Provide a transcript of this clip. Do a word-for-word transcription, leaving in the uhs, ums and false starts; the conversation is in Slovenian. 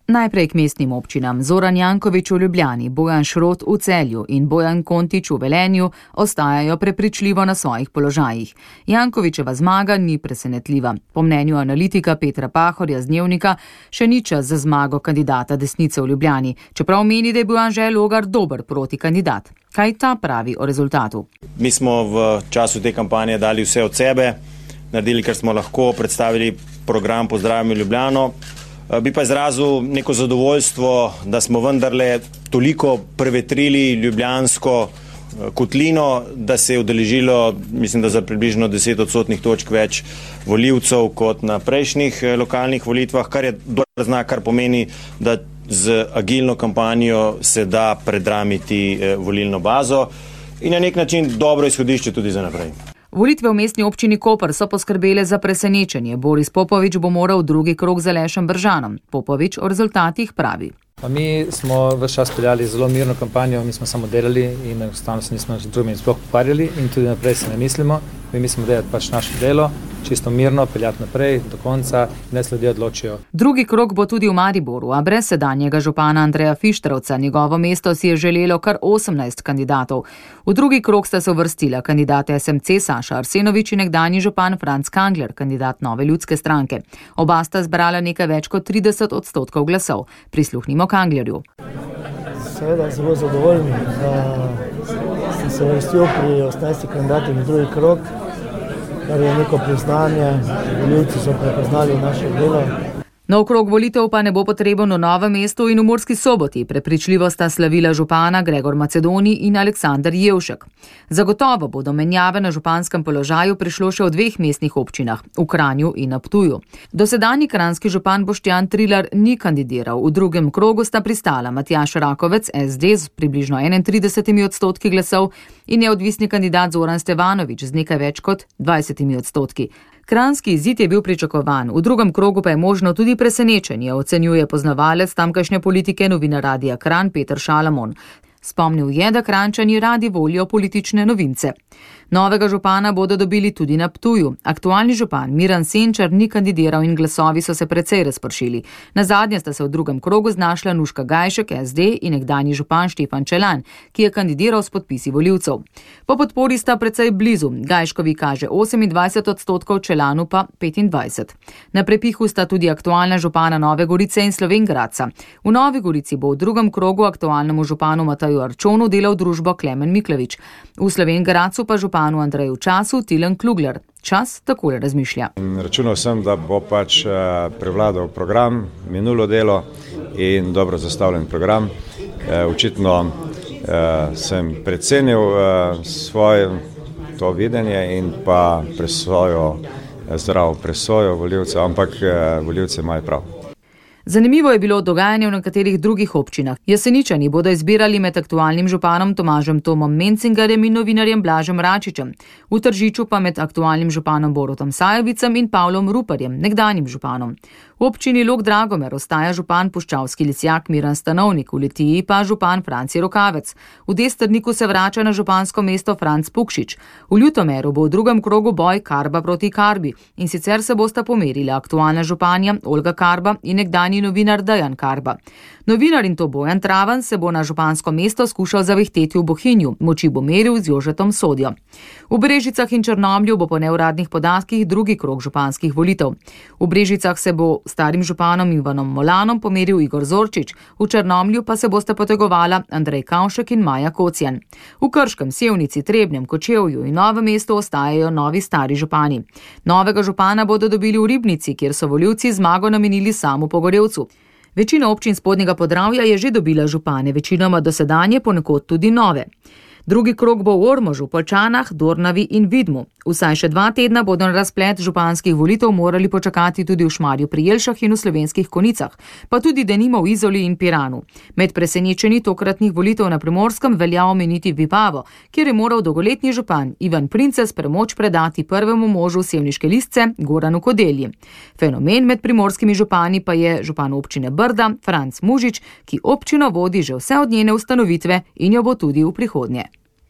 Najprej k mestnim občinam. Zoran Janković v Ljubljani, Bojan Šrot v Celju in Bojan Kontič v Velenju ostajajo prepričljivo na svojih položajih. Jankovićeva zmaga ni presenetljiva. Po mnenju analitika Petra Pahorja z Dnevnika še ni čas za zmago kandidata desnice v Ljubljani, čeprav meni, da je bil Anže Logar dober protikandidat. Kaj ta pravi o rezultatu? Mi smo v času te kampanje dali vse od sebe, naredili, kar smo lahko, predstavili program Pozdravimo Ljubljano. Bi pa izrazil neko zadovoljstvo, da smo vendarle toliko prevetrili ljubljansko kotlino, da se je udeležilo, mislim, da za približno deset odstotnih točk več volivcev kot na prejšnjih lokalnih volitvah, kar je dober znak, kar pomeni, da z agilno kampanjo se da predramiti volilno bazo in na nek način dobro izhodišče tudi za naprej. Volitve v mestni občini Koper so poskrbele za presenečenje. Boris Popovič bo moral drugi krog z Alešem Bržanom. Popovič o rezultatih pravi. Pa mi smo ves čas peljali zelo mirno kampanjo, mi smo samo delali in enostavno se nismo z drugimi sploh pokvarjali in tudi naprej se ne mislimo. Mi mislimo delati pač naše delo, čisto mirno, peljati naprej do konca, ne se ljudje odločijo. Drugi krog bo tudi v Mariboru, a brez sedanjega župana Andreja Fištravca. Njegovo mesto si je želelo kar osemnajst kandidatov. V drugi krog sta se uvrstila kandidata S M C Saša Arsenovič in nekdanji župan Franc Kangler, kandidat Nove ljudske stranke. Oba sta zbrala nekaj več kot trideset odstotkov glasov. Prisluhnimo Kanglerju. Seveda zelo zadovoljni, da sem se uvrstil pri osemnajstih kandidatih v drugi krog, kar je neko priznanje, volivci so prepoznali naše delo. Nov krog volitev pa ne bo potreben v Novem mestu in v Murski Soboti. Prepričljivo sta slavila župana Gregor Macedoni in Aleksander Jevšek. Zagotovo bodo menjave na županskem položaju prišlo še v dveh mestnih občinah, v Kranju in na Ptuju. Dosedanji kranjski župan Boštjan Trilar ni kandidiral. V drugem krogu sta pristala Matjaž Rakovec S D z približno enaintridesetimi odstotki glasov in neodvisni kandidat Zoran Stevanovič z nekaj več kot dvajsetimi odstotki. Kranjski izid je bil pričakovan, v drugem krogu pa je možno tudi presenečenje, ocenjuje poznavalec tamkajšnje politike novinar Radia Kranj Peter Šalamon. Spomnil je, da Kranjčani radi volijo politične novince. Novega župana bodo dobili tudi na Ptuju. Aktualni župan Miran Senčar ni kandidiral in glasovi so se precej razpršili. Nazadnje sta se v drugem krogu znašla Nuška Gajšek S D in nekdanji župan Štefan Čelan, ki je kandidiral s podpisi volivcev. Po podpori sta precej blizu. Gajškovi kaže osemindvajset odstotkov, Čelanu pa petindvajset. Na prepihu sta tudi aktualna župana Nove Gorice in Slovenj Gradca. V Novi Gorici bo v drugem krogu aktualnemu županu Mataju Arčonu delal družbo Klemen Miklavič. V Slovenj Gradcu pa županu Andreju Času Tilen Klugler. Čas takole razmišlja. Računal sem, da bo pač prevladal program, minulo delo in dobro zastavljen program. Očitno sem precenil svoje to videnje in pa presojo, zdravo presojo volivcev, ampak volivci imajo prav. Zanimivo je bilo dogajanje v nekaterih drugih občinah. Jeseničani bodo izbirali med aktualnim županom Tomažem Tomom Mencingarjem in novinarjem Blažem Račičem, v Tržiču pa med aktualnim županom Borutom Sajovicem in Pavlom Ruparjem, nekdanjim županom. V občini Log Dragomer ostaja župan puščavski lisjak Miran Stanovnik, v Litiji pa župan Franci Rokavec. V Destrniku se vrača na župansko mesto Franc Pukšič. V Ljutomeru bo v drugem krogu boj Karba proti Karbi in sicer se bosta pomerila aktualna županja Olga Karba in nekdanji novinar Dejan Karba. Novinar in to Bojan Travan se bo na župansko mesto skušal zavihteti v Bohinju, moči bo meril z Jožetom Sodjo. V Brežicah in Črnomlju bo po neuradnih podatkih drugi krog županskih volitev. V Brežicah se bo starim županom Ivanom Molanom pomeril Igor Zorčič, v Črnomlju pa se bosta potegovala Andrej Kavšek in Maja Kocjan. V Krškem, Sevnici, Trebnjem, Kočevju in Novem mestu ostajajo novi stari župani. Novega župana bodo dobili v Ribnici, kjer so volivci zmago namenili Samu Pogorevcu. Večina občin Spodnjega Podravja je že dobila župane, večinoma dosedanje, ponekod tudi nove. Drugi krog bo v Ormožu, Poljčanah, Dornavi in Vidmu. Vsaj še dva tedna bodo na razplet županskih volitev morali počakati tudi v Šmarju pri Jelšah in v Slovenskih Konicah, pa tudi denimo v Izoli in Piranu. Med presenečenji tokratnih volitev na Primorskem velja omeniti Vipavo, kjer je moral dolgoletni župan Ivan Princes premoč predati prvemu možu Sevniške Listce Goranu Kodelji. Fenomen med primorskimi župani pa je župan občine Brda Franc Mužič, ki občino vodi že vse od njene ustanovitve in jo bo tudi v prihodnje.